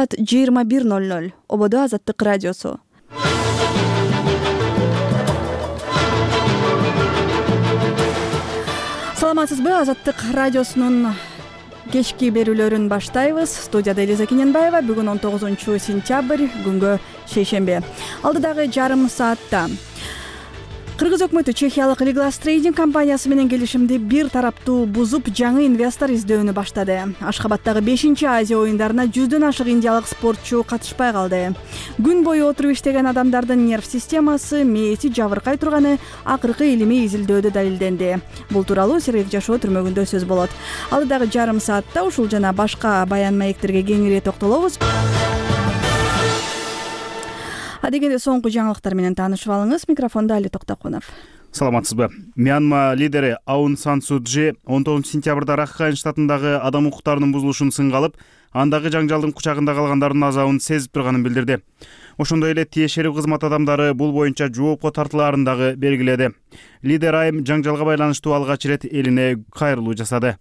саат 21:00. Ободо Азаттык радиосу. Саламатсызбы? Азаттык радиосунун кечки берүүлөрүн баштайбыз. Студияда Элиза Кененбаева. Бүгүн 19-сентябрь, күнгө шейшембе. Алдыдагы жарым саатта Кыргыз өкмөтү Чехиялык Liglas Trading компаниясы менен келишимди бир тараптуу бузуп, жаңы инвестор издөөнү баштады. Ашхабадтагы 5-Азия оюндарына 100дөн ашык индиялык спортчу катышпай калды. Күн бою отуруп иштеген адамдардын нерв системасы, мээси жабыркай турганы акыркы илимий изилдөөдө далилденди. Бул тууралуу Сергек Жашоо түрмөгүндө сөз болот. Алдыдагы жарым саатта ушул жана башка баян маектерге кеңири токтолобуз. Адегенде соңку жаңылыктар менен таанышып алыңыз. Микрофондо Али Токтокунов. Саламатсызбы? Мьянма лидери Аун Сан Су Чжи 19-сентябрда Ракхайн штатындагы адам укуктарынын бузулушун сынга алып, андагы жаңжалдын кучагында калгандардын азабын сезип турганын билдирди. Ошондой эле тиешелүү кызмат адамдары бул боюнча жоопко тартылаарын дагы белгиледи. Лидер айым жаңжалга байланыштуу алгач ирет элине кайрылуу жасады.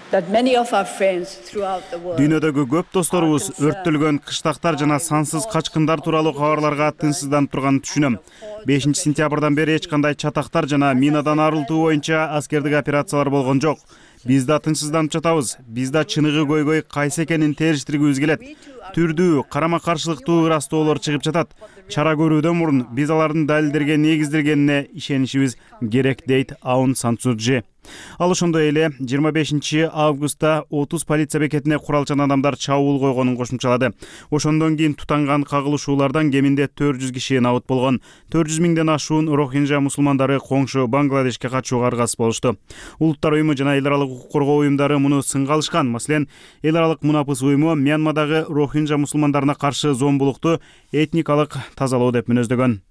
Дүйнөдөгү көп досторубуз өрттөлгөн кыштактар жана сансыз качкындар тууралуу кабарларга тынчсызданып турганын түшүнөм. 5-сентябрдан бери эч кандай чатактар жана минадан арылтуу боюнча аскердик операциялар болгон жок. Биз да тынчсызданып жатабыз. Биз да чыныгы көйгөй кайсы экенин териштиргибиз келет. Түрдүү, карама-каршылыктуу ырастоолор чыгып жатат. Чара көрүүдөн мурун биз алардын далилдерге негизделгенине ишенишибиз керек, дейт Аун Сан Су Чжи. Ал ошондой эле 25-августта 30 полиция бекетине куралчан адамдар чабуул койгонун кошумчалады. Ошондон кийин тутанган кагылышуулардан кеминде 400 киши набыт болгон. 400 миңден ашуун Рохинжа мусулмандары коңшу Бангладешке качууга аргасыз болушту. Улуттар уюму жана эл аралык укук коргоо уюмдары муну сынга алышкан. Маселен, эл аралык мунапыс уюму Мьянмадагы Рохинжа мусулмандарына каршы зомбулукту этникалык тазалоо деп мүнөздөгөн.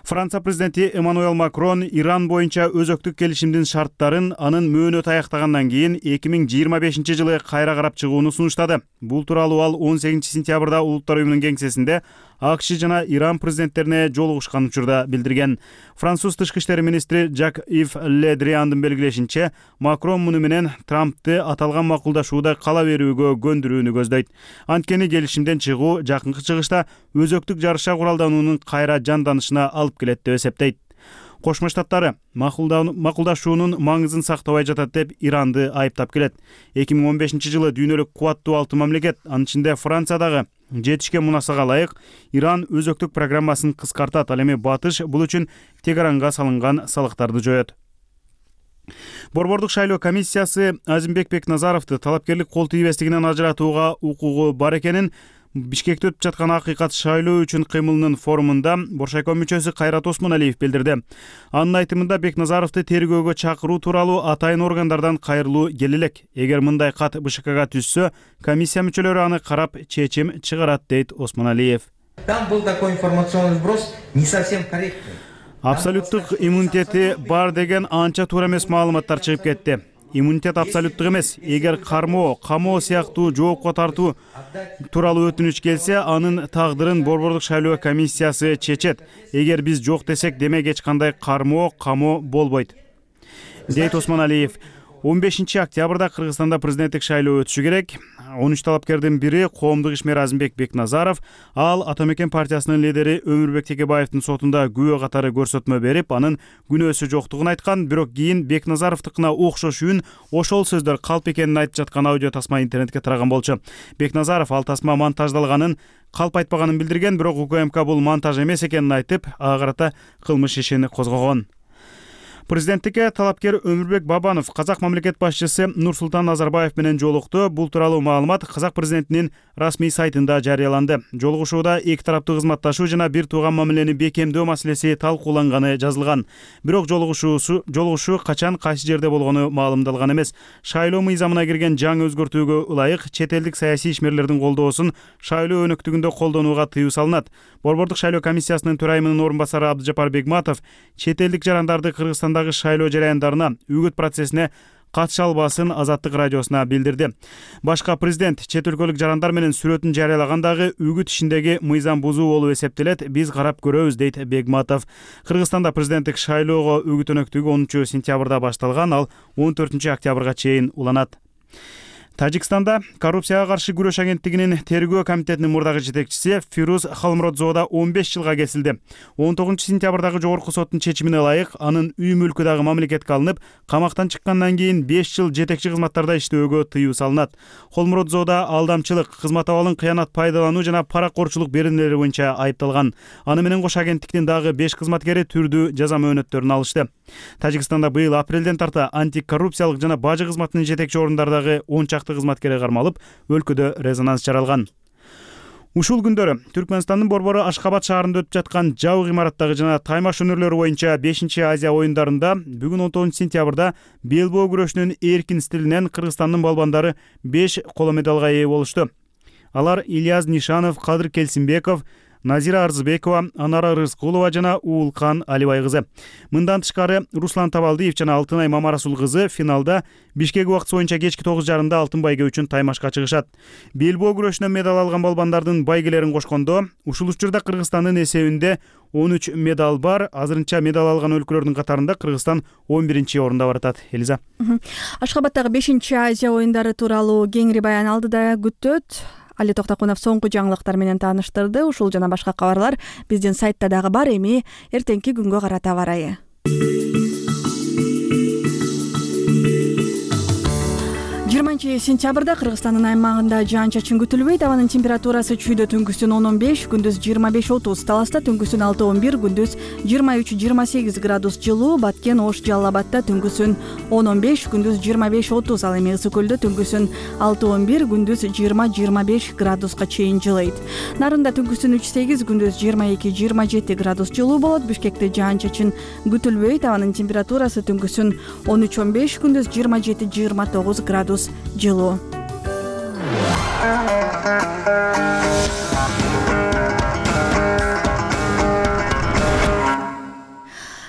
Франция президенти Эммануэл Макрон Иран боюнча өзөктүк келишимдин шарттарын анын мөөнөтү аяктагандан кийин 2025-жылы кайра карап чыгууну сунуштады. Бул тууралуу ал 18-сентябрда Улуттар уюмунун кеңсесинде АКШ жана Иран президенттерине жолугушкан учурда билдирген. Француз тышкы иштер министри Жак-Ив Ле Дриандын белгилешинче, Макрон муну менен Трампты аталган макулдашууда кала берүүгө көндүрүүнү көздөйт. Анткени келишимден чыгуу жакынкы чыгышта өзөктүк жарыша куралдануунун кайра жанданышына алып келет деп эсептейт. Кошмо Штаттары макулдашуунун маңызын сактабай жатат деп Иранды айыптап келет. 2015-жылы дүйнөлүк кубаттуу 6 мамлекет, анын ичинде Франция дагы жетишкен мунасага ылайык Иран өзөктүк программасын кыскартат. Ал эми Батыш бул үчүн Тегеранга салынган салыктарды жоет. Борбордук шайлоо комиссиясы Азимбек Бекназаровду талапкерлик кол тийбестигинен ажыратууга укугу бар экенин Бишкекте өтүп жаткан акыйкат шайлоо үчүн кыймылынын форумунда Боршайком мүчөсү Кайрат Осмоналиев билдирди. Анын айтымында Бекназаровду тергөөгө чакыруу тууралуу атайын органдардан кайрылуу келелек. Эгер мындай кат БШКга түшсө, комиссия мүчөлөрү аны карап чечим чыгарат, дейт Осмоналиев. Там был такой информационный вброс не совсем корректный. Абсолюттук иммунитети бар деген анча туура эмес маалыматтар чыгып кетти. Иммунитет абсолюттук эмес. Эгер кармоо, камоо сыяктуу жоопко тартуу тууралуу өтүнүч келсе, анын тагдырын Борбордук шайлоо комиссиясы чечет. Эгер биз жок десек, демек эч кандай кармоо, камоо болбойт, дейт Осмоналиев. 15-октябрда Кыргызстанда президенттик шайлоо өтүшү керек. 13 талапкердин бири коомдук ишмер Азимбек Бекназаров. Ал Ата Мекен партиясынын лидери Өмүрбек Текебаевдин сотунда күбө катары көрсөтмө берип, анын күнөөсү жоктугун айткан. Бирок кийин Бекназаровдукуна окшош үн, ошол сөздөр калп экенин айтып жаткан аудио тасма интернетке тараган болчу. Бекназаров ал тасма монтаждалганын, калп айтпаганын билдирген, бирок УКМК бул монтаж эмес экенин айтып, ага карата кылмыш ишин козгогон. Президенттикке талапкер Өмүрбек Бабанов Казак мамлекет башчысы Нурсултан Назарбаев менен жолукту. Бул тууралуу маалымат Казак президентинин расмий сайтында жарыяланды. Жолугушууда эки тараптуу кызматташуу жана бир тууган мамилени бекемдөө маселеси талкууланганы жазылган. Бирок жолугушуу качан кайсы жерде болгону маалымдалган эмес. Шайлоо мыйзамына кирген жаңы өзгөртүүгө ылайык чет элдик саясий ишмерлердин колдоосун шайлоо өнөктүгүндө колдонууга тыюу салынат. Борбордук шайлоо комиссиясынын төрайымынын орун басары Абдыжапар Бегматов чет элдик жарандарды Кыргызстандагы шайлоо жараяндарына үгүт процессине катыша албасын Азаттык радиосуна билдирди. Башка президент чет өлкөлүк жарандар менен сүрөтүн жарыялагандагы үгүт ишиндеги мыйзам бузуу болуп эсептелет. Биз карап көрөбүз, дейт Бегматов. Кыргызстанда президенттик шайлоого үгүт өнөктүгү 10 сентябрда башталган, ал 14 октябрга чейин уланат. Тажикстанда коррупцияга каршы күрөш агенттигинин тергөө комитетинин мурдагы жетекчиси Фируз Халмуродзода 15 жылга кесилди. 19-сентябрдагы жогорку соттун чечимине ылайык анын үй мүлкү дагы мамлекетке алынып, камактан чыккандан кийин 5 жыл жетекчи кызматтарда иштөөгө тыюу салынат. Холмуродзода алдамчылык, кызмат абалын кыянат пайдалануу жана паракорчулук беренелери боюнча айыпталган. Аны менен кошо агенттиктин дагы 5 кызматкери түрдүү жаза мөөнөттөрүн алышты. Тажикстанда быйыл апрелден тарта антикоррупциялык жана бажы кызматынын жетекчи орундардагы 10 чакты кызматкери кармалып, өлкөдө резонанс жаралган. Ушул күндөрү Түркмөнстандын борбору Ашкабад шаарында өтүп жаткан жабык имараттагы жана таймаш өнөрлөрү боюнча 5-Азия оюндарында бүгүн 19-сентябрда белбоо күрөшүнүн эркин стилинен Кыргызстандын балбандары 5 коло медалга ээ болушту. Алар Ильяз Нишанов, Кадыр Келсинбеков, Назира Арзыбекова, Анара Рыскулова жана Уулкан Алибай кызы. Мындан тышкары Руслан Табалдиев жана Алтынай Мамарасул кызы финалда Бишкек убакыты боюнча кечки 9:30 алтын байге үчүн таймашка чыгышат. Белбоо күрөшүнөн медаль алган балбандардын байгелерин кошкондо, ушул учурда Кыргызстандын эсебинде 13 медаль бар. Азырынча медаль алган өлкөлөрдүн катарында Кыргызстан 11-орунда баратат. Элиза. Ашкабадтагы 5-Азия оюндары тууралуу кеңири баян алдыда күтөт. Али Токтокунов соңку жаңылыктар менен тааныштырды. Ушул жана башка кабарлар биздин сайтта дагы бар. Эми эртеңки күнгө карата барайы. 20-сентябрда Кыргызстандын аймагында жаан-чачын күтүлбөйт. Абанын температурасы чүйдө түнкүсүн 10-15, күндүз 25-30, Таласта түнкүсүн 6-11, күндүз 23-28 градус жылуу, Баткен, Ош, Жалал Абадта түнкүсүн 10-15, күндүз 25-30, ал эми Ысык Көлдө түнкүсүн 6-11, күндүз 20-25 градуска чейин жылыйт. Нарында түнкүсүн 3-8, күндүз 22-27 градус жылуу болот. Бишкекте жаан-чачын күтүлбөйт. Абанын температурасы түнкүсүн 13-15, күндүз 27-29 градус жылуу.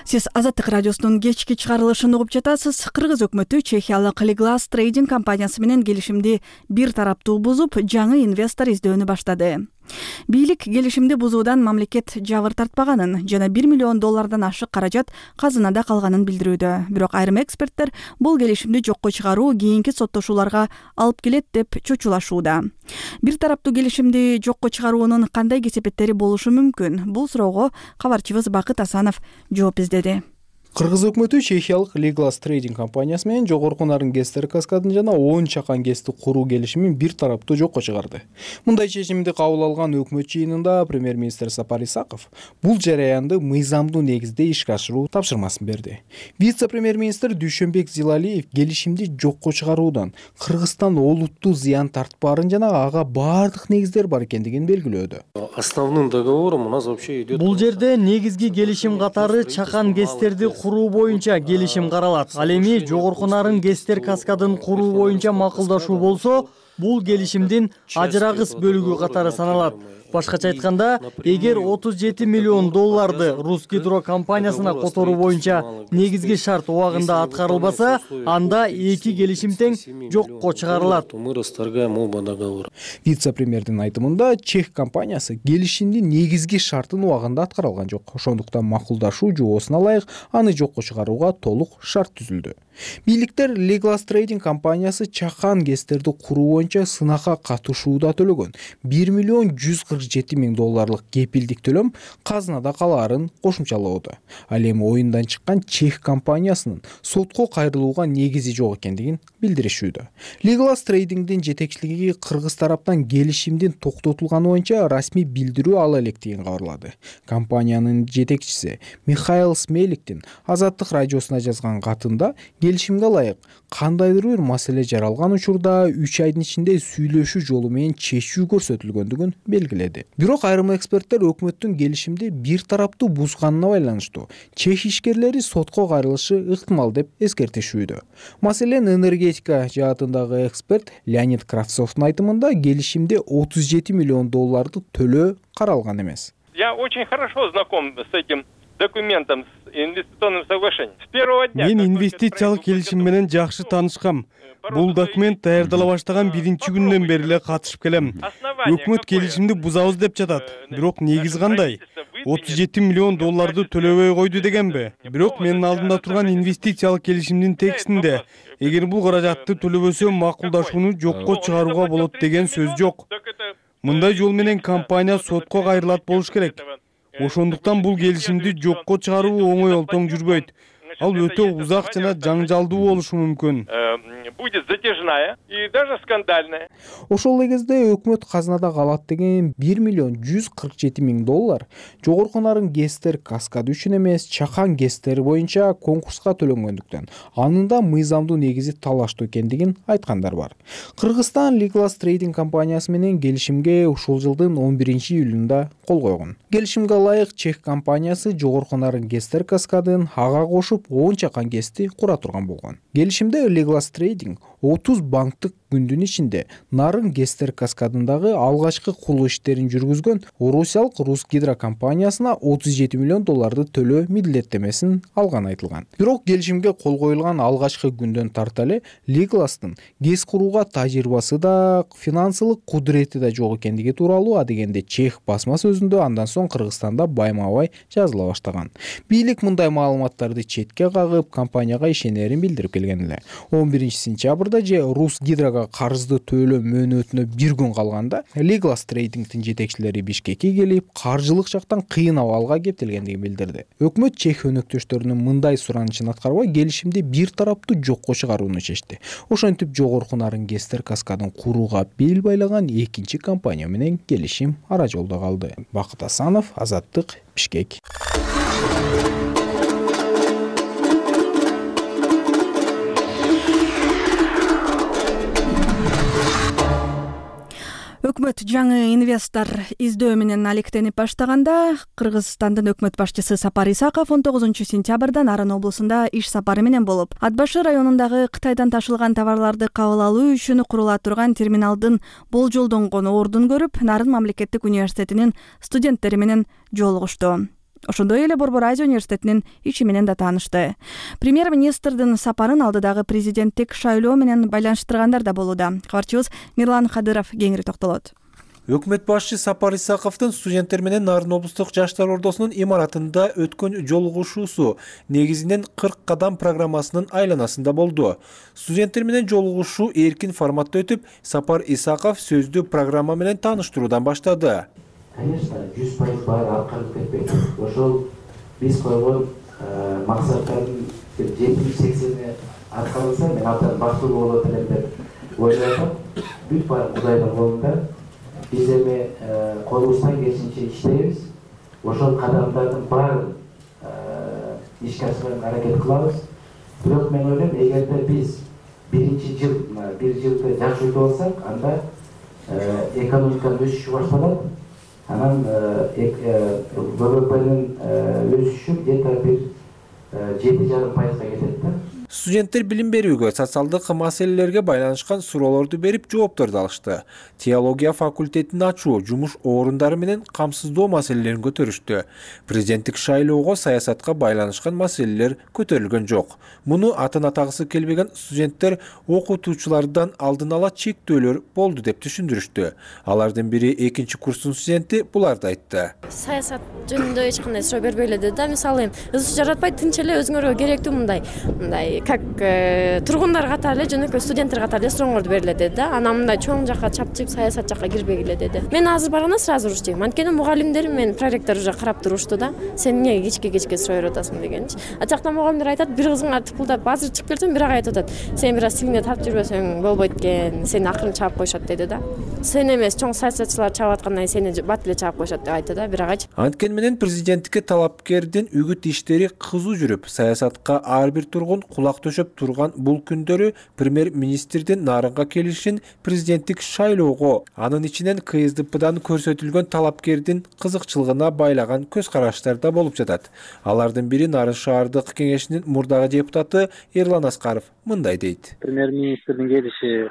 Сиз Азаттык радиосунун кечки чыгарылышын угуп жатасыз. Кыргыз өкмөтү чехиялык Liglas Trading компаниясы менен келишимди бир тараптуу бузуп, жаңы инвестор издөөнү баштады. Бийлик келишимди бузуудан мамлекет жабыр тартпаганын жана $1 миллион ашык каражат казынада калганын билдирүүдө. Бирок айрым эксперттер бул келишимди жокко чыгаруу кийинки соттошууларга алып келет деп чочулашууда. Бир тараптуу келишимди жокко чыгаруунун кандай кесепеттери болушу мүмкүн? Бул суроого кабарчыбыз Бакыт Асанов жооп издеди. Кыргыз өкмөтү чехиялык Liglas Trading компаниясы менен жогорку нарын ГЭСтер каскадын жана 10 чакан ГЭСти куруу келишимин бир тараптуу жокко чыгарды. Мындай чечимди кабыл алган өкмөт жыйынында премьер-министр Сапар Исаков бул жараянды мыйзамдуу негизде ишке ашыруу тапшырмасын берди. Вице-премьер-министр Дүйшөнбек Зилалиев келишимди жокко чыгаруудан Кыргызстан олуттуу зыян тартпаарын жана ага баардык негиздер бар экендигин белгилөөдө. Основным договором у нас вообще идет. Бул жерде негизги келишим катары чакан ГЭСтерди куруу боюнча келишим каралат. Ал эми жогорку нарын ГЭСтер каскадын куруу боюнча макулдашуу болсо, бул келишимдин ажырагыс бөлүгү катары саналат. Башкача айтканда, эгер $37 миллион Русгидро компаниясына которуу боюнча негизги шарт убагында аткарылбаса, анда эки келишим тең жокко чыгарылат. Мы расторгаем оба договора. Вице-премьердин айтымында чех компаниясы келишимдин негизги шартын убагында аткарылган жок. Ошондуктан макулдашуу жоосуна ылайык аны жокко чыгарууга толук шарт түзүлдү. Бийликтер Liglas Trading компаниясы чакан ГЭСтерди куруу боюнча сынакка катышууда төлөгөн $1 миллион $147,000 кепилдик төлөм казынада калаарын кошумчалоодо. Ал эми оюндан чыккан чех компаниясынын сотко кайрылууга негизи жок экендигин билдиришүүдө. Liglas Tradingдин жетекчилиги Кыргыз тараптан келишимдин токтотулганы боюнча расмий билдирүү ала электигин кабарлады. Компаниянын жетекчиси Михаил Смеликтин Азаттык радиосуна жазган катында келишимге ылайык кандайдыр бир маселе жаралган учурда 3 айдын ичинде сүйлөшүү жолу менен чечүү көрсөтүлгөндүгүн белгиледи. Бирок айрым эксперттер өкмөттүн келишимди бир тараптуу бузганына байланыштуу чех ишкерлери сотко кайрылышы ыктымал деп эскертишүүдө. Маселен, энергетика жаатындагы эксперт Леонид Кравцовдун айтымында келишимде $37 миллион төлөө каралган эмес. Я очень хорошо знаком с этим документом, с инвестиционным соглашением. С первого дня. Мен инвестициялык келишим менен жакшы таанышкам. Бул документ даярдала баштаган биринчи күндөн бери эле катышып келем. Өкмөт келишимди бузабыз деп жатат. Бирок негиз кандай? $37 миллион төлөбөй койду дегенби? Бирок менин алдымда турган инвестициялык келишимдин текстинде эгер бул каражатты төлөбөсө макулдашууну жокко чыгарууга болот деген сөз жок. Мындай жол менен компания сотко кайрылат болуш керек. Ошондуктан бул келишимди жокко чыгаруу оңой олтоң жүрбөйт. Ал өтө узак жана жаңжалдуу болушу мүмкүн. Будет затяжная и даже скандальная. Ошол эле кезде өкмөт казынада калат деген $1,147,000 жогорку нарын ГЭСтер каскады үчүн эмес, чакан ГЭСтери боюнча конкурска төлөнгөндүктөн, анын да мыйзамдуу негизи талаштуу экендигин айткандар бар. Кыргызстан Legal Trading компаниясы менен келишимге ушул жылдын 11-июлунда кол койгон. Келишимге ылайык чех компаниясы жогорку нарын ГЭСтер каскадын ага кошуп 10 чакан ГЭСти кура турган болгон. Келишимде Legal Trading 30 банктык күндүн ичинде нарын ГЭСтер каскадындагы алгачкы куруу иштерин жүргүзгөн Орусиялык Русгидро компаниясына $37 миллион төлөө милдеттемесин алган айтылган. Бирок келишимге кол коюлган алгачкы күндөн тарта эле Legal'стын ГЭС курууга тажрыйбасы да, финансылык кудурети да жок экендиги тууралуу адегенде чех басма сөзүндө андан соң Кыргызстанда байма-бай жазыла баштаган. Бийлик мындай маалыматтарды четке кагып, компанияга ишенерин билдирип келген эле. 11-сентябрда же Русгидро карызды төлөө мөөнөтүнө бир күн калганда Legal Trading'тин жетекчилери Бишкекке келип, каржылык жактан кыйын абалга кептелгендигин билдирди. Өкмөт чех өнөктөштөрүнүн мындай суранычын аткарбай, келишимди бир тараптуу жокко чыгарууну чечти. Ошентип жогорку нарын ГЭСтер каскадын курууга бел байлаган экинчи компания менен келишим ара жолдо калды. Бакыт Асанов, Азаттык, Бишкек. Өкмөт жаңы инвестор издөө менен алектенип баштаганда, Кыргызстандын өкмөт башчысы Сапар Исаков 19-сентябрда Нарын облусунда иш сапары менен болуп, Ат башы районундагы Кытайдан ташылган товарларды кабыл алуу үчүн курула турган терминалдын болжолдонгон ордун көрүп, Нарын мамлекеттик университетинин студенттери менен жолугушту. Ошондой эле Борбор Азия университетинин иши менен да таанышты. Премьер-министрдин сапарын алдыдагы президенттик шайлоо менен байланыштыргандар да болууда. Кабарчыбыз Мирлан Кадыров кеңири токтолот. Өкмөт башчы Сапар Исаковдун студенттер менен Нарын облустук жаштар ордосунун имаратында өткөн жолугушуусу негизинен 40 кадам программасынын айланасында болду. Студенттер менен жолугушуу эркин форматта өтүп, Сапар Исаков сөздү программа менен тааныштыруудан баштады. Конечно, 100% баары аркалып кетпейт. Ошол биз койгон максаттардын 70-80 аркаланса, мен абдан бактылуу болот элем деп ойлойм. Бүт баары Кудайдын колунда. Биз эми колубуздан келишинче иштейбиз. Ошол кадамдардын баарын ишке ашырууга аракет кылабыз. Бирок мен ойлойм, эгерде биз бир жылды жакшы өтүп алсак, анда экономиканын өсүшү башталат. Анан ВВПнын өсүшү где-то бир 7,5% кетет да. Студенттер билим берүүгө, социалдык маселелерге байланышкан суроолорду берип, жоопторду алышты. Теология факультетин ачуу, жумуш орундары менен камсыздоо маселелерин көтөрүштү. Президенттик шайлоого саясатка байланышкан маселелер көтөрүлгөн жок. Муну атын атагысы келбеген студенттер окутуучулардан алдын ала чектөөлөр болду деп түшүндүрүштү. Алардын бири 2-курстун студенти буларды айтты. Саясат жөнүндө эч кандай суроо бербей эле да, мисалы ызы жаратпай тынч эле өзүңөргө керектүү мындай как тургундар катары эле жөнөкөй студенттер катары эле сурооңорду бергиле деди да. Анан мындай чоң жакка чапчык саясат жакка кирбегиле деди. Мен азыр барганда сразу уруштум. Анткени мугалимдер мен проректор уже карап турушту да. Сен эмнеге кечке суроо берип атасың дегенчи. А жакта мугалимдер айтат, бир кызыңар тыпылдап азыр чыгып келсең, бирок айтып атат. Сен бир аз тилиңде тартып жүрбөсөң болбойт экен. Сени акырын чаап коюшат деди да. Сен эмес, чоң саясатчылар чаап аткандан кийин сени бат эле чаап коюшат деп айтты да, бирок Анткени менен президенттикке талапкердин үгүт иштери кызуу жүрүп, саясатка ар бир тургун кулак төшөп турган бул күндөрү премьер-министрдин Нарынга келишин президенттик шайлоого, анын ичинен КСДПдан көрсөтүлгөн талапкердин кызыкчылыгына байлаган көз караштар да болуп жатат. Алардын бири Нарын шаардык кеңешинин мурдагы депутаты Эрлан Аскаров мындай дейт. Премьер-министрдин келиши,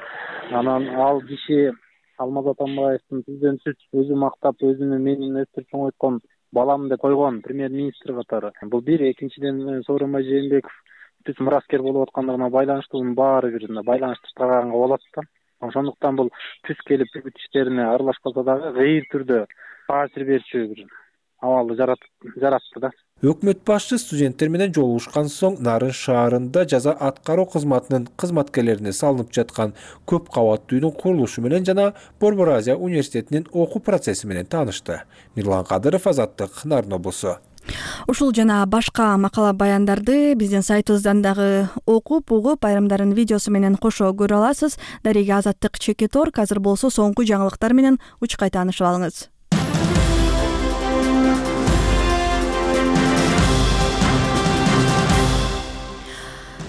анан ал киши Алмаз Атамбаевдин президенттик өзү мактап, өзүнүн менин өстүрүп чоңойткон балам деп койгон премьер-министр катары. Бул бир, экинчиден Сооронбай Жээнбеков түз мураскер болуп аткандыгына байланыштуу, баары бир байланыштырганга болот да. Ошондуктан бул түз келип үгүт иштерине аралашпаса дагы гыйыр түрдө таасир берчү бир абалды жаратты да. Өкмөт башчы студенттер менен жолугушкан соң Нарын шаарында жаза аткаруу кызматынын кызматкерлерине салынып жаткан көп кабаттуу үйдүн курулушу менен жана Борбор Азия университетинин окуу процесси менен таанышты. Мирлан Кадыров, Азаттык, Нарын облусу. Ушул жана башка макала баяндарды биздин сайтыбыздан дагы окуп, угуп, айрымдарын видеосу менен кошо көрө аласыз. Дареге Азаттык Чекиторг. Азыр болсо соңку жаңылыктар менен учкай таанышып алыңыз.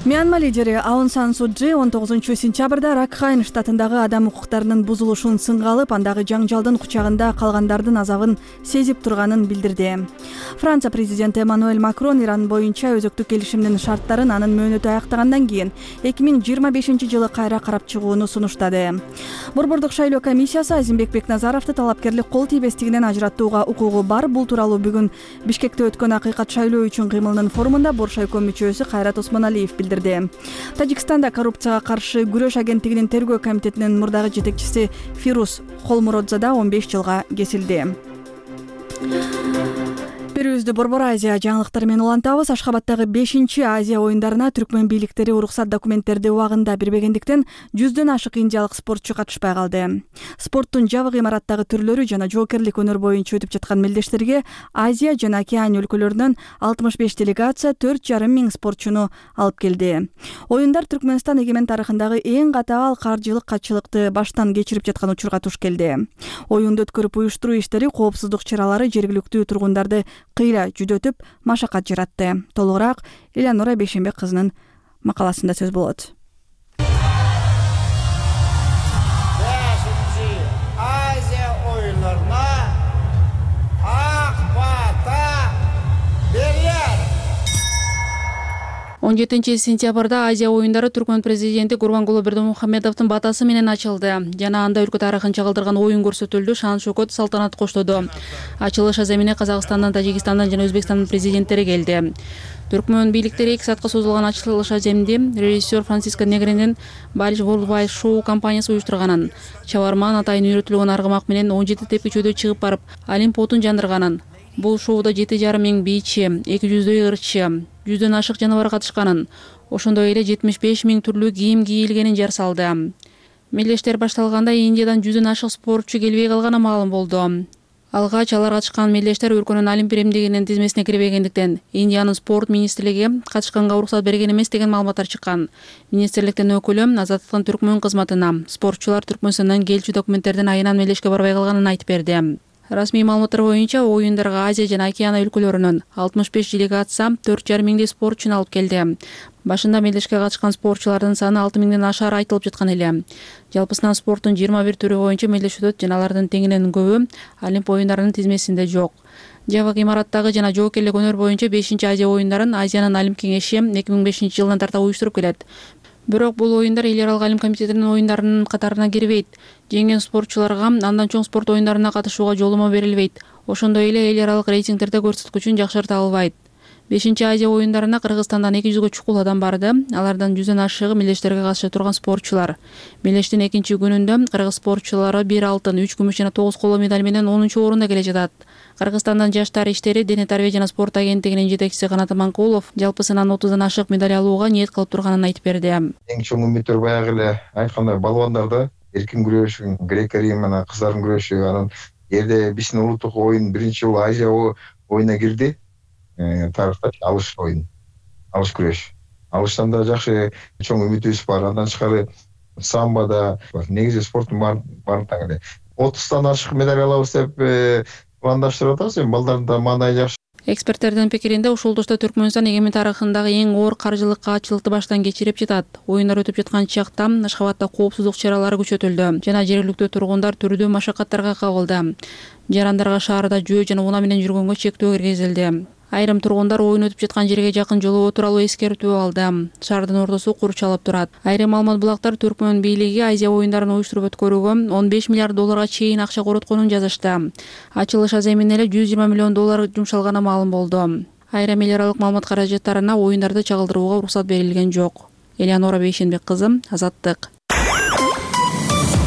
Мьянма лидери Аун Сан Су Чжи 19-сентябрда Ракхайн штатындагы адам укуктарынын бузулушун сынга алып, андагы жаңжалдын кучагында калгандардын азабын сезип турганын билдирди. Франция президенти Эммануэль Макрон Иран боюнча өзөктүк келишимдин шарттарын анын мөөнөтү аяктагандан кийин 2025-жылы кайра карап чыгууну сунуштады. Борбордук шайлоо комиссиясы Азимбек Бекназаровду талапкерлик кол тийбестигинен ажыраттууга укугу бар. Бул тууралуу бүгүн Бишкекте өткөн акыйкат шайлоо үчүн кыймылынын форумунда Боршайком мүчөсү Кайрат Осмоналиев билдирди. Тажикстанда коррупцияга каршы күрөш агенттигинин тергөө комитетинин мурдагы жетекчиси Фирус Холмуродзада 15 жылга кесилди. Берүүбүздү Борбор Азия жаңылыктары менен улантабыз. Ашхабаддагы 5-Азия оюндарына түркмөн бийликтери уруксат документтерди убагында бербегендиктен 100дөн ашык индиялык спортчу катышпай калды. Спорттун жабык имараттагы түрлөрү жана жоокерлик өнөр боюнча өтүп жаткан мелдештерге Азия жана Океания өлкөлөрүнөн 65 делегация 4,5 миң спортчуну алып келди. Оюндар Түркмөнстан эгемен тарыхындагы эң катаал каржылык катчылыкты баштан кечирип жаткан учурга туш келди. Оюнду өткөрүп уюштуруу иштери коопсуздук чаралары жергиликтүү тургундарды кыйла жүдөтүп, машакат жаратты. Толугураак Элеонора Бейшенбек кызынын макаласында сөз болот. 5-ci Азия оюндарына ак бата берер. 17-сентябрда Азия оюндары Түркмөн президенти Гурбангулы Бердимухамедовдун батасы менен ачылды. Жана анда өлкө тарыхын чагылдырган оюн көрсөтүлдү. Шан шөкөт салтанат коштоду. Ачылыш аземине Казакстандан, Тажикстандан жана Өзбекстандын президенттери келди. Түркмөн бийликтери 2 саатка созулган ачылыш аземди режиссер Франциско Негринин Balish Worldwide Show компаниясы уюштурганын, чабарман атайын үйрөтүлгөн аргымак менен 17 тепкичөдө чыгып барып, Олимп отун жандырганын. Бул шоуда 7,5 миң бийчи, 200дөй ырчы, 100дөн ашык жаныбар катышканын, ошондой эле 75 миң түрлүү кийим кийилгенин жар салды. Мелдештер башталганда Индиядан 100дөн ашык спортчу келбей калганы маалым болду. Алгач алар катышкан мелдештер өлкөнүн Олимп биримдигинин тизмесине кирбегендиктен Индиянын спорт министрлиги катышканга уруксат берген эмес деген маалыматтар чыккан. Министрликтин өкүлү Азаттыктын Түркмөн кызматына спортчулар Түркмөнстандан келчү документтердин айынан мелдешке барбай калганын айтып берди. Расмий маалыматтар боюнча оюндарга Азия жана Океания өлкөлөрүнөн 65 делегация 4,5 миңдей спортчуну алып келди. Башында мелдешке катышкан спортчулардын саны 6 миңден ашары айтылып жаткан эле. Жалпысынан спорттун 21 түрү боюнча мелдеш өтөт жана алардын теңинен көбү Олимп оюндарынын тизмесинде жок. Жабык имараттагы жана жоокерлик өнөр боюнча 5-Азия оюндарын Азиянын Олимп кеңеши 2005-жылдан тарта уюштуруп келет. Бирок бул оюндар эл аралык Олимп комитетинин оюндарынын катарына кирбейт. Жеңген спортчуларга андан чоң спорт оюндарына катышууга жолумо берилбейт. Ошондой эле эл аралык рейтингдерде көрсөткүчүн жакшырта албайт. 5-Азия оюндарына Кыргызстандан 200гө чукул адам барды. Алардан 100дөн ашыгы мелдештерге катыша турган спортчулар. Мелдештин экинчи күнүндө кыргыз спортчулары 1 алтын, 3 күмүш жана 9 коло медаль менен 10-орунда келе жатат. Кыргызстандан жаштар иштери дене тарбия жана спорт агенттигинин жетекчиси Канат Аманкулов жалпысынан 30дан ашык медаль алууга ниет кылып турганын айтып берди. Эң чоң үмүттөр баягы эле айткандай балбандарда эркин күрөш, грек-рим менен кыздардын күрөшү, анан жерде биздин улуттук оюн биринчи жолу Азия оюна кирди. Тарыхта алыш оюн, алыш күрөш. Алыштан да жакшы чоң үмүтүбүз бар. Андан тышкары самбода негизи спорттун баардыгы эле 30тан ашык медаль алабыз деп пландаштырып атабыз. Балдардын да маанайы жакшы. Эксперттердин пикиринде ушул тушта Түркмөнстан эгемен тарыхындагы эң оор каржылык каатчылыкты баштан кечирип жатат. Оюндар өтүп жаткан чакта Ашхабадда коопсуздук чаралары күчөтүлдү жана жергиликтүү тургундар түрдүү машакаттарга кабылды. Жарандарга шаарда жөө жана унаа менен жүргөнгө чектөө киргизилди. Айрым тургундар оюн өтүп жаткан жерге жакын жолоо тууралуу эскертүү алды. Шаардын ортосу курчалып турат. Айрым маалымат булактар Түркмөн бийлиги Азия оюндарын уюштуруп өткөрүүгө 15 миллиард долларга чейин акча коротконун жазышты. Ачылыш аземине эле 120 миллион доллар жумшалганы маалым болду. Айрым эл аралык маалымат каражаттарына оюндарды чагылдырууга уруксат берилген жок. Элеонора Бейшенбек кызы, Азаттык.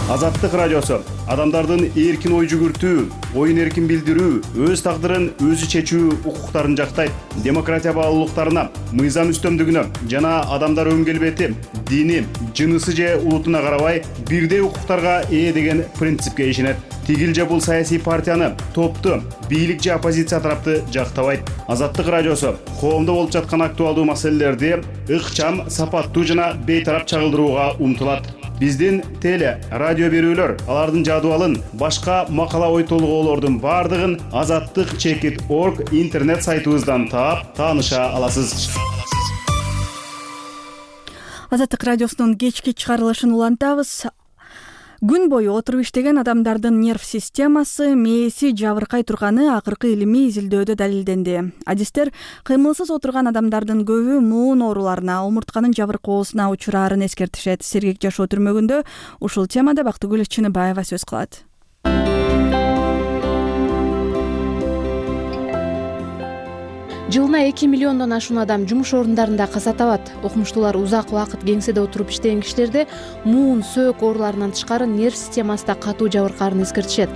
Азаттык радиосу адамдардын эркин ой жүгүртүү, оюн эркин билдирүү, өз тагдырын өзү чечүү укуктарын жактайт. Демократия баалуулуктарына, мыйзам үстөмдүгүнө жана адамдар өң келбети, дини, жынысы же улутуна карабай бирдей укуктарга ээ деген принципке ишенет. Тигил же бул саясий партияны, топту, бийлик же оппозиция тарапты жактабайт. Азаттык радиосу коомдо болуп жаткан актуалдуу маселелерди ыкчам, сапаттуу жана бейтарап чагылдырууга умтулат. Биздин теле, радио берүүлөр, алардын жадыбалын, башка макала ой толгоолордун бардыгын azattik.org интернет сайтыбыздан таап, тааныша аласыз. Азаттык радиосунун кечки чыгарылышын улантабыз. Күн бою отуруп иштеген адамдардын нерв системасы, мээси жабыркай турганы акыркы илимий изилдөөдө далилденди. Адистер кыймылсыз отурган адамдардын көбү муун ооруларына, омуртканын жабыркоосуна учураарын эскертишет. Сергек жашоо түрмөгүндө ушул темада Бактыгүл Чыныбаева сөз кылат. Жылына 2 миллиондон ашуун адам жумуш орундарында каза табат. Окумуштуулар узак убакыт кеңседе отуруп иштеген кишилерде муун, сөөк ооруларынан тышкары нерв системасында катуу жабыркаарын эскертишет.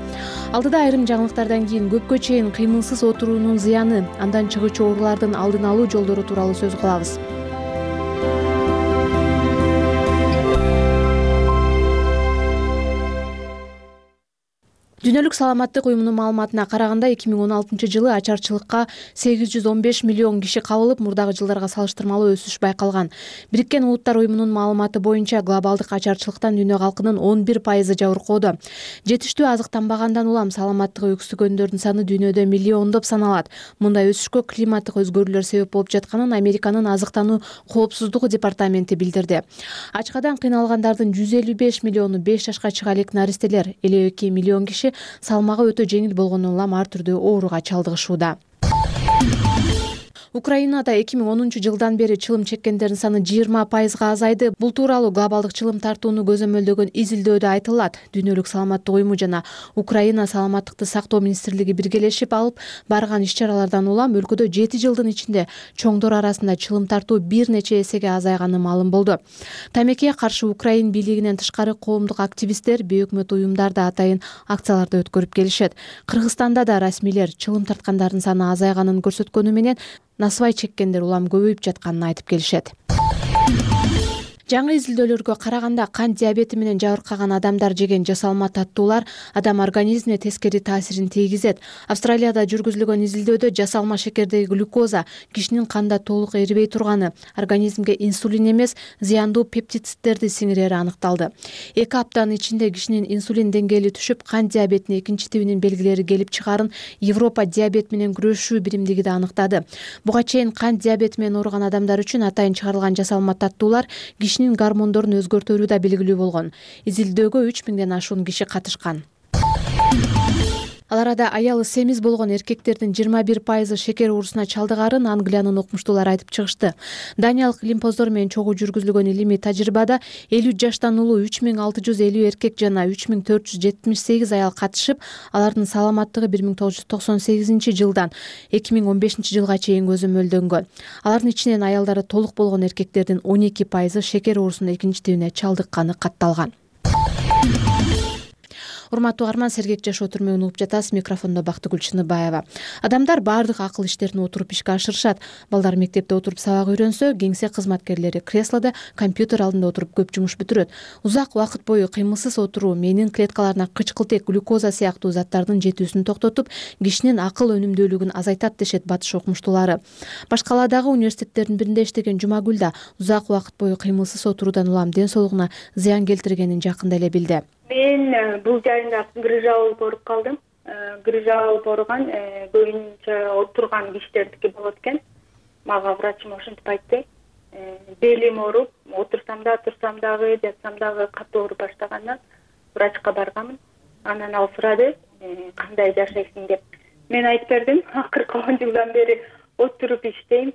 Алдыда айрым жаңылыктардан кийин көпкө чейин кыймылсыз отуруунун зыяны, андан чыгуучу оорулардын алдын алуу жолдору тууралуу сөз кылабыз. Дүйнөлүк саламаттык уюмунун маалыматына караганда 2016-жылы ачарчылыкка 815 миллион киши кабылып, мурдагы жылдарга салыштырмалуу өсүш байкалган. Бириккен Улуттар уюмунун маалыматы боюнча глобалдык ачарчылыктан дүйнө калкынын 11% жабыркоодо. Жетиштүү азыктанбагандан улам саламаттыгы өксүгөндөрдүн саны дүйнөдө миллиондоп саналат. Мындай өсүшкө климаттык өзгөрүүлөр себеп болуп жатканын Американын азыктануу коопсуздугу департаменти билдирди. Ачкадан кыйналгандардын 155 миллиону 5 жашка чыга элек наристелер, 52 миллион киши салмагы өтө жеңил болгону улам ар түрдүү ооруга чалдыгышууда. Украинада 2010-жылдан бери чылым чеккендердин саны 20%га азайды. Бул тууралуу глобалдык чылым тартууну көзөмөлдөгөн изилдөөдө айтылат. Дүйнөлүк саламаттык уюму жана Украина саламаттыкты сактоо министрлиги биргелешип алып барган иш-чаралардан улам өлкөдө 7 жылдын ичинде чоңдор арасында чылым тартуу бир нече эсеге азайганы маалым болду. Тамекиге каршы Украин бийлигинен тышкары коомдук активисттер, бейөкмөт уюмдар да атайын акцияларды өткөрүп келишет. Кыргызстанда да расмийлер чылым тарткандардын саны азайганын көрсөткөнү менен насыбай чеккендер улам көбөйүп жатканын айтып келишет. Жаңы изилдөөлөргө караганда кант диабети менен жабыркаган адамдар жеген жасалма таттуулар адам организмине тескери таасирин тийгизет. Австралияда жүргүзүлгөн изилдөөдө жасалма шекердеги глюкоза кишинин канда толук эрибей турганы, организмге инсулин эмес, зыяндуу пептидтерди сиңирери аныкталды. 2 аптанын ичинде кишинин инсулин деңгээли түшүп, кант диабетинин 2-тибинин белгилери келип чыгарын Европа диабет менен күрөшүү биримдиги да аныктады. Буга чейин кант диабети менен ооруган адамдар үчүн атайын чыгарылган жасалма таттуулар кишинин гормондорун өзгөртөрү да белгилүү болгон. Изилдөөгө 3000ден ашуун киши катышкан. Ал арада аялы семиз болгон эркектердин 21% шекер оорусуна чалдыгарын Англиянын окумуштуулары айтып чыгышты. Даниялык лимфоздор менен чогуу жүргүзүлгөн илимий тажрыйбада 50 жаштан улуу 3650 эркек жана 3478 аял катышып, алардын саламаттыгы 1998-жылдан 2015-жылга чейин көзөмөлдөнгөн. Алардын ичинен аялдары толук болгон эркектердин 12% шекер оорусунун 2-тибине чалдыкканы катталган. Урматтуу угарман, Сергек жашоо түрмөгүн угуп жатасыз. Микрофондо Бактыгүл Чыныбаева. Адамдар баардык акыл иштерин отуруп ишке ашырышат. Балдар мектепте отуруп сабак үйрөнсө, кеңсе кызматкерлери креслода компьютер алдында отуруп көп жумуш бүтүрөт. Узак убакыт бою кыймылсыз отуруу менин клеткаларына кычкылтек, глюкоза сыяктуу заттардын жетүүсүн токтотуп, кишинин акыл өнүмдүүлүгүн азайтат дешет батыш окумуштуулары. Башкаладагы университеттердин биринде иштеген Жумагүл да узак убакыт бою кыймылсыз отуруудан улам ден соолугуна зыян келтиргенин жакында эле билди. Мен бул жайында грыжа болуп ооруп калдым. Грыжа болуп ооруган көбүнчө отурган кишилердики болот экен. Мага врачым ошентип айтты. Белим ооруп, отурсам да, турсам дагы, жатсам дагы катуу ооруп баштагандан врачка барганмын. Анан ал сурады, кандай жашайсың деп. Мен айтып бердим, акыркы 10 жылдан бери отуруп иштейм,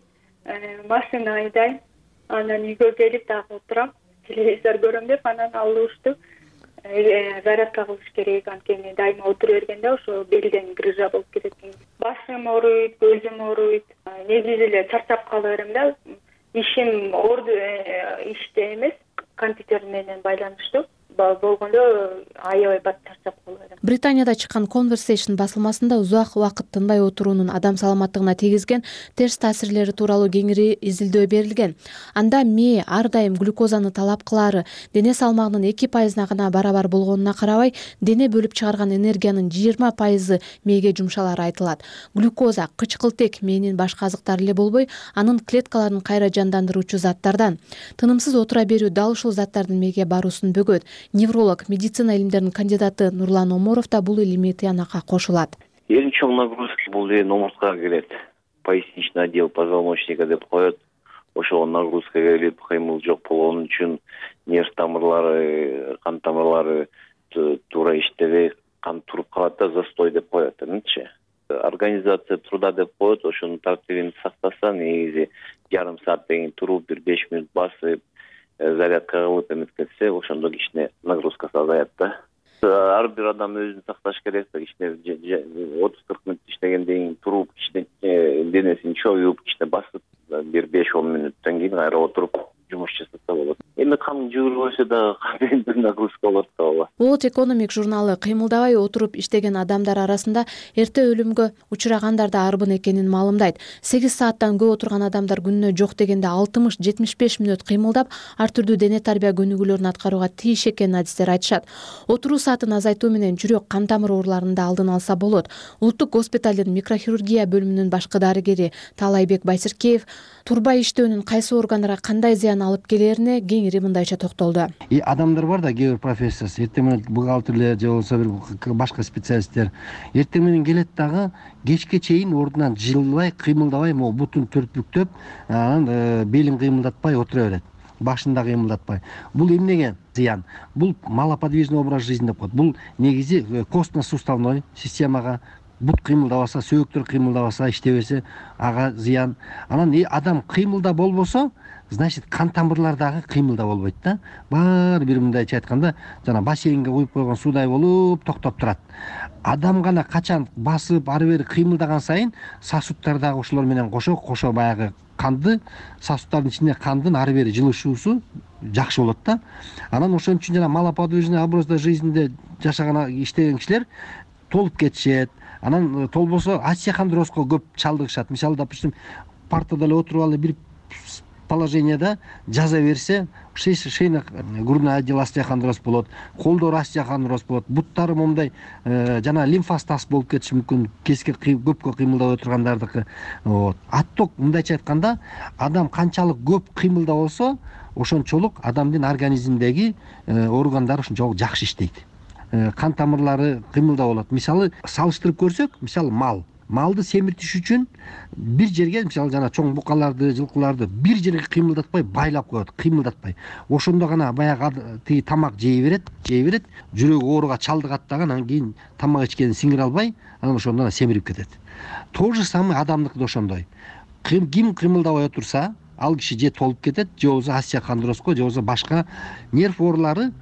машина айдайм, анан үйгө келип дагы отурам, телевизор көрөм деп, анан ал урушту. Зарядка кылыш керек, анткени дайыма отура бергенде ошо белден грыжа болуп кетет экен. Башым ооруйт, көзүм ооруйт. Негизи эле чарчап кала берем да. Ишим иште эмес, компьютер менен байланыштуу. болгондо аябай бат чарчап калып. Британияда чыккан Conversation басылмасында узак убакыт тынбай отуруунун адам саламаттыгына тийгизген терс таасирлери тууралуу кеңири изилдөө берилген. Анда мээ ар дайым глюкозаны талап кылаары, дене салмагынын 2%-на гана барабар болгонуна карабай, дене бөлүп чыгарган энергиянын 20% мээге жумшалары айтылат. Глюкоза кычкылтек мээнин башка азыктары эле болбой, анын клеткаларын кайра жандандыруучу заттардан. Тынымсыз отура берүү дал ушул заттардын мээге баруусун бөгөт. Невролог, медицина илимдеринин кандидаты Нурлан Оморов да бул илимий тыянакка кошулат. Эң чоң нагрузка бул омурткага келет. Поясничный отдел позвоночника деп коет. Ошол нагрузка келип, кыймыл жок болгон үчүн нерв тамырлары, кан тамырлары туура иштебей, кан туруп калат да, застой деп коет. Организация труда деп коет, ошонун тартибин сактаса, негизи жарым сааттан кийин туруп, 1-5 мүнөт басып, зарядка кылып эметкетсе, ошондо кичине нагрузкасы азаят да. Ар бир адам өзүн сакташ керек да, кичине 30-40 мүнөт иштегенден кийин туруп, кичине денесин чоюп, кичине басып, 1-5-10 мүнөттөн кийин кайра отуруп жумуш жасаса болот. Эми кан жүгүрбөсө да кандайдыр нагрузка болот да ооба. World Economic журналы кыймылдабай отуруп иштеген адамдар арасында эрте өлүмгө учурагандар да арбын экенин маалымдайт. 8 сааттан көп отурган адамдар күнүнө жок дегенде 60-75 мүнөт кыймылдап, ар түрдүү дене тарбия көнүгүүлөрүн аткарууга тийиш экенин адистер айтышат. Отуруу саатын азайтуу менен жүрөк кан тамыр ооруларын да алдын алса болот. Улуттук госпиталдын микрохирургия бөлүмүнүн башкы дарыгери Таалайбек Байсиркеев турбай иштөөнүн кайсы органдарга кандай зыян алып келерине кеңири мындайча токтолду. Адамдар бар да, кээ бир профессия, эртең менен бухгалтерлер же болбосо бир башка специалисттер эртең менен келет дагы кечке чейин ордунан жылбай, кыймылдабай, могу бутун төртбүктөп, анан белин кыймылдатпай отура берет. Башында кыймылдатпай. Бул эмнеге зыян? Бул малоподвижный образ жизни деп коет. Бул негизи костно-суставной системага бут кыймылдабаса, сөөктөр кыймылдабаса, иштебесе, ага зыян. Анан адам кыймылда болбосо, значит, кан тамырлар дагы кыймылда болбойт да. Баары бир мындайча айтканда, жана бассейнге куюп койгон суудай болуп токтоп турат. Адам гана качан басып, ары бери кыймылдаган сайын сосудтар дагы ошолор менен кошо баягы канды, сосудтардын ичинде кандын ары бери жылышуусу жакшы болот да. Анан ошон үчүн жана малоподвижный образда жизньде жашаган, иштеген кишилер толуп кетишет. Анан толбосо остеохондрозго көп чалдыгышат. Мисалы, допустим, партада эле отуруп алып бир положенияда жаза берсе, шейно-грудной отдел остеохондроз болот, колдор остеохондроз болот, буттары момундай жана лимфостаз болуп кетиши мүмкүн, кеске көпкө кыймылдабай отургандардыкы. Отток мындайча айтканда, адам канчалык көп кыймылда болсо, ошончолук адамдын организминдеги органдары ошончолук жакшы иштейт. Кан тамырлары кыймылда болот. Мисалы, салыштырып көрсөк, мисалы малды семиртиш үчүн бир жерге, мисалы жана чоң букаларды, жылкыларды бир жерге кыймылдатпай байлап коет, кыймылдатпай. Ошондо гана баягы тиги тамак жей берет, жүрөгү ооруга чалдыгат дагы, анан кийин тамак ичкенин сиңире албай, анан ошондо семирип кетет. То же самое адамдыкы да ошондой. Ким кыймылдабай отурса, ал киши же толуп кетет, же болбосо остеохондрозго, же болбосо башка нерв оорулары.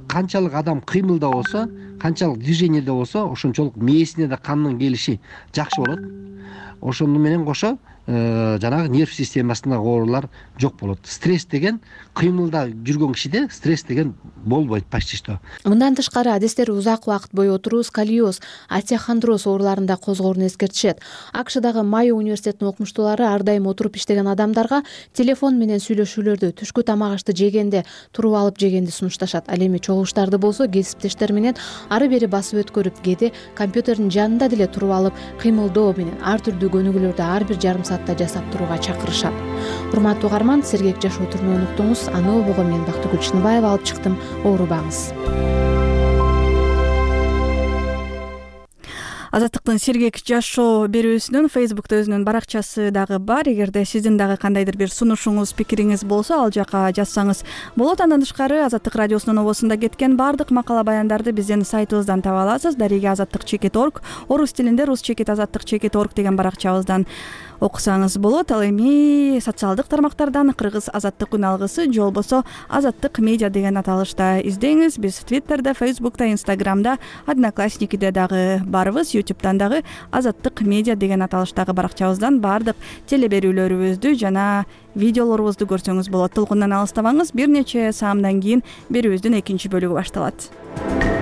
Канчалык адам кыймылда болсо, канчалык движениеде болсо, ошончолук мээсине да кандын келиши жакшы болот. Ошону менен кошо жанагы нерв системасындагы оорулар жок болот. Стресс деген, кыймылда жүргөн кишиде стресс деген болбойт почти что. Мындан тышкары адистер узак убакыт бою отуруу сколиоз, остеохондроз ооруларында козгоорун эскертишет. АКШдагы Майо университетинин окумуштуулары ар дайым отуруп иштеген адамдарга телефон менен сүйлөшүүлөрдү, түшкү тамак ашты жегенде туруп алып жегенди сунушташат. Ал эми чогулуштарды болсо кесиптештер менен ары бери басып өткөрүп, кээде компьютердин жанында деле туруп алып кыймылдоо менен ар түрдүү көнүгүүлөрдү ар бир жарым саатта жасап турууга чакырышат. Урматтуу угарман, сергек жашоо түрүнө өнүктүңүз. Аны обого мен Бактыгүл Чыныбаева алып чыктым. Оорубаңыз. Азаттыктын сергек жашоо берүүсүнүн Facebook'та өзүнүн баракчасы дагы бар. Эгерде сиздин дагы кандайдыр бир сунушуңуз, пикириңиз болсо, ал жака жазсаңыз болот. Андан тышкары Азаттык радиосунун обосунда кеткен бардык макала баяндарды биздин сайтыбыздан таба аласыз. Дареге azattik.org, орус тилинде rus-azattik.org деген баракчабыздан окусаңыз болот. Ал эми социалдык тармактардан Кыргыз азаттык күн алгысы же болбосо азаттык медиа деген аталышта издеңиз. Биз Twitter'да, Facebook'та, Instagram'да, Одноклассникиде дагы барбыз. YouTube'дан дагы азаттык медиа деген аталыштагы баракчабыздан баардык телеберүүлөрүбүздү жана видеолорубузду көрсөңүз болот. Толкундан алыстабаңыз. Бир нече саамдан кийин берүүбүздүн экинчи бөлүгү башталат.